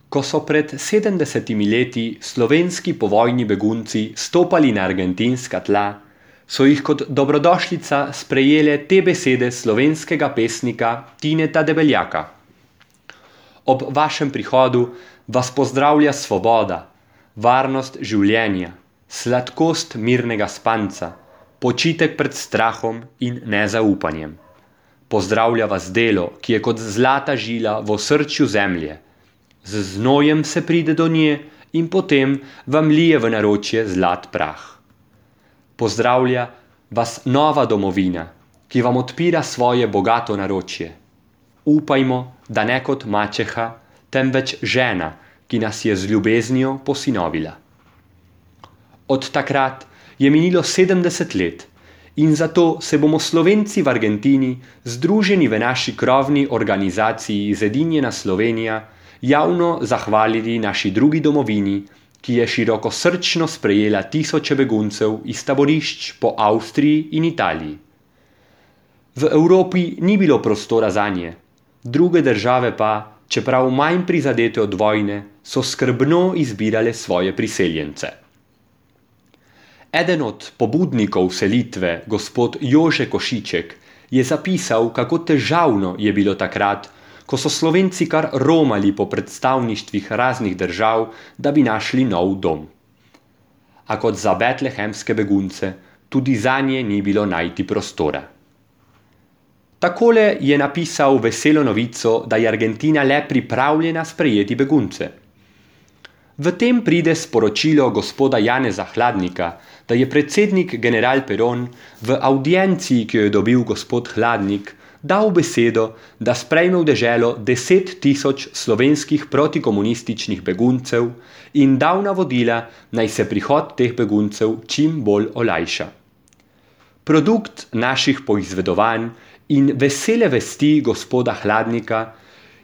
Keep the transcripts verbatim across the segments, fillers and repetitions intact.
Ko so pred sedemdesetimi leti slovenski povojni begunci stopali na argentinska tla, so jih kot dobrodošlica sprejele te besede slovenskega pesnika Tineta Debeljaka. Ob vašem prihodu vas pozdravlja svoboda, varnost življenja, sladkost mirnega spanca, počitek pred strahom in nezaupanjem. Pozdravlja vas delo, ki je kot zlata žila v osrčju zemlje. Z znojem se pride do nje in potem vam lije v naročje zlat prah. Pozdravlja vas nova domovina, ki vam odpira svoje bogato naročje. Upajmo, da ne kot mačeha, temveč žena, ki nas je z ljubeznijo posinovila. Od takrat je minilo sedemdeset let in zato se bomo Slovenci v Argentini, združeni v naši krovni organizaciji Zedinjena Slovenija, javno zahvalili naši drugi domovini, ki je širokosrčno sprejela tisoče beguncev iz taborišč po Avstriji in Italiji. V Evropi ni bilo prostora zanje, druge države pa, čeprav manj prizadete od vojne, so skrbno izbirale svoje priseljence. Eden od pobudnikov selitve, gospod Jože Košiček, je zapisal, kako težavno je bilo takrat, ko so Slovenci kar romali po predstavništvih raznih držav, da bi našli nov dom. A kot za betlehemske begunce, tudi zanje ni bilo najti prostora. Takole je napisal veselo novico, da je Argentina le pripravljena sprejeti begunce. V tem pride sporočilo gospoda Janeza Hladnika, da je predsednik general Peron v avdienciji, ki jo je dobil gospod Hladnik, dal besedo, da sprejme v deželo deset tisoč slovenskih protikomunističnih beguncev in dal navodila, naj se prihod teh beguncev čim bolj olajša. Produkt naših poizvedovanj in vesele vesti gospoda Hladnika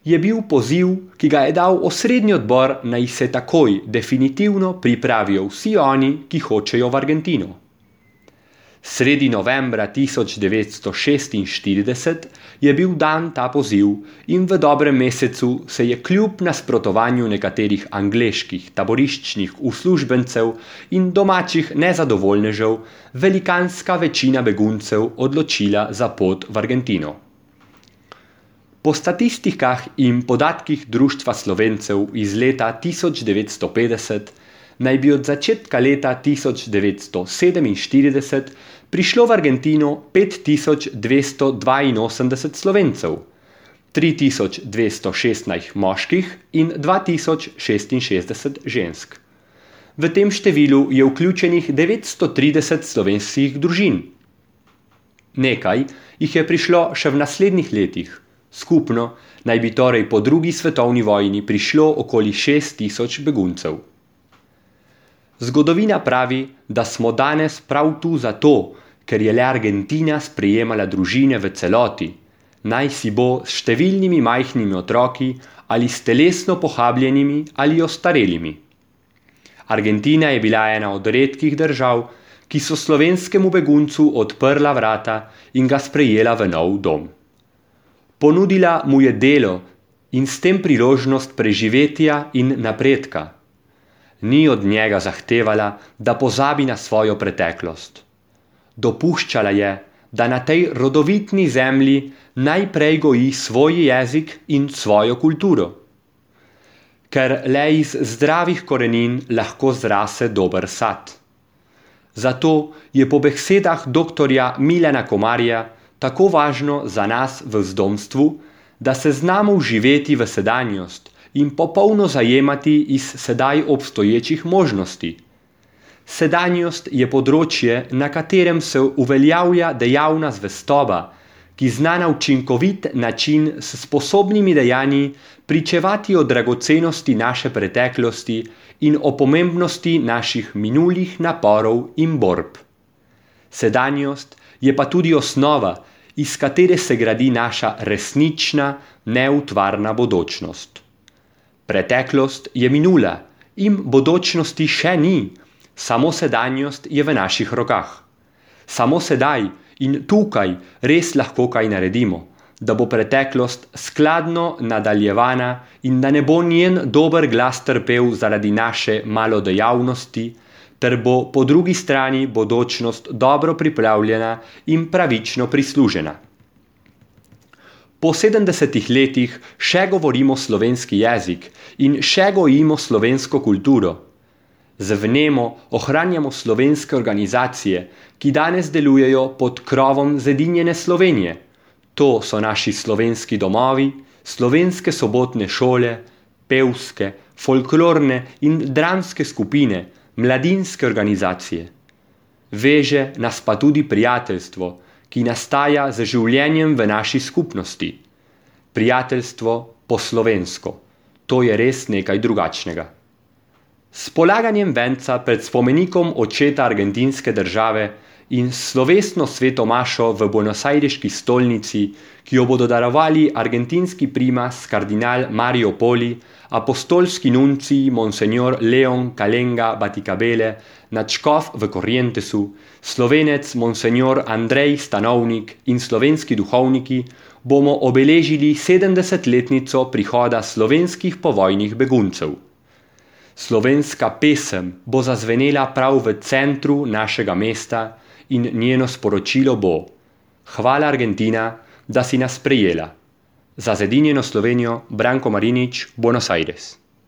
je bil poziv, ki ga je dal osrednji odbor, naj se takoj definitivno pripravijo vsi oni, ki hočejo v Argentino. Sredi novembra tisoč devetsto šestinštirideset je bil dan ta poziv in v dobrem mesecu se je kljub nasprotovanju nekaterih angleških taboriščnih uslužbencev in domačih nezadovoljnežev velikanska večina beguncev odločila za pot v Argentino. Po statistikah in podatkih Društva Slovencev iz leta tisoč devetsto petdeset naj bi od začetka leta tisoč devetsto sedeminštirideset prišlo v Argentino pet tisoč dvesto dvainosemdeset Slovencev, tri tisoč dvesto šestnajst moških in dva tisoč šestinšestdeset žensk. V tem številu je vključenih devetsto trideset slovenskih družin. Nekaj jih je prišlo še v naslednjih letih. Skupno naj bi torej po drugi svetovni vojni prišlo okoli šest tisoč beguncev. Zgodovina pravi, da smo danes prav tu zato, ker je le Argentina sprejemala družine v celoti, naj si bo s številnimi majhnimi otroki ali s telesno pohabljenimi ali ostarelimi. Argentina je bila ena od redkih držav, ki so slovenskemu beguncu odprla vrata in ga sprejela v nov dom. Ponudila mu je delo in s tem priložnost preživetja in napredka. Ni od njega zahtevala, da pozabi na svojo preteklost. Dopuščala je, da na tej rodovitni zemlji najprej goji svoj jezik in svojo kulturo. Ker le iz zdravih korenin lahko zrase dober sad. Zato je po besedah doktorja Milana Komarja tako važno za nas v zdomstvu, da se znamo vživeti v sedanjost in popolno zajemati iz sedaj obstoječih možnosti. Sedanjost je področje, na katerem se uveljavlja dejavna zvestoba, ki zna na učinkovit način s sposobnimi dejanji pričevati o dragocenosti naše preteklosti in o pomembnosti naših minulih naporov in borb. Sedanjost je pa tudi osnova, iz katere se gradi naša resnična, neutvarna bodočnost. Preteklost je minula in bodočnosti še ni, samo sedanjost je v naših rokah. Samo sedaj in tukaj res lahko kaj naredimo, da bo preteklost skladno nadaljevana in da ne bo njen dober glas trpel zaradi naše malodejavnosti, ter bo po drugi strani bodočnost dobro pripravljena in pravično prislužena. Po sedemdesetih letih še govorimo slovenski jezik in še gojimo slovensko kulturo. Z vnemo ohranjamo slovenske organizacije, ki danes delujejo pod krovom Zedinjene Slovenije. To so naši slovenski domovi, slovenske sobotne šole, pevske, folklorne in dramske skupine, mladinske organizacije. Veže nas pa tudi prijateljstvo, ki nastaja z življenjem v naši skupnosti. Prijateljstvo po slovensko. To je res nekaj drugačnega. S polaganjem venca pred spomenikom očeta argentinske države in slovesno svetomašo v buenosajriški stolnici, ki jo bodo darovali argentinski primas kardinal Mario Poli, apostolski nuncij Monsignor Leon Kalenga Baticabele, nadškof v Corrientesu, slovenec Monsignor Andrej Stanovnik in slovenski duhovniki, bomo obeležili sedemdesetletnico prihoda slovenskih povojnih beguncev. Slovenska pesem bo zazvenela prav v centru našega mesta in njeno sporočilo bo: Hvala Argentina, da si nas sprejela. Za Zedinjeno Slovenijo, Branko Marinič, Buenos Aires.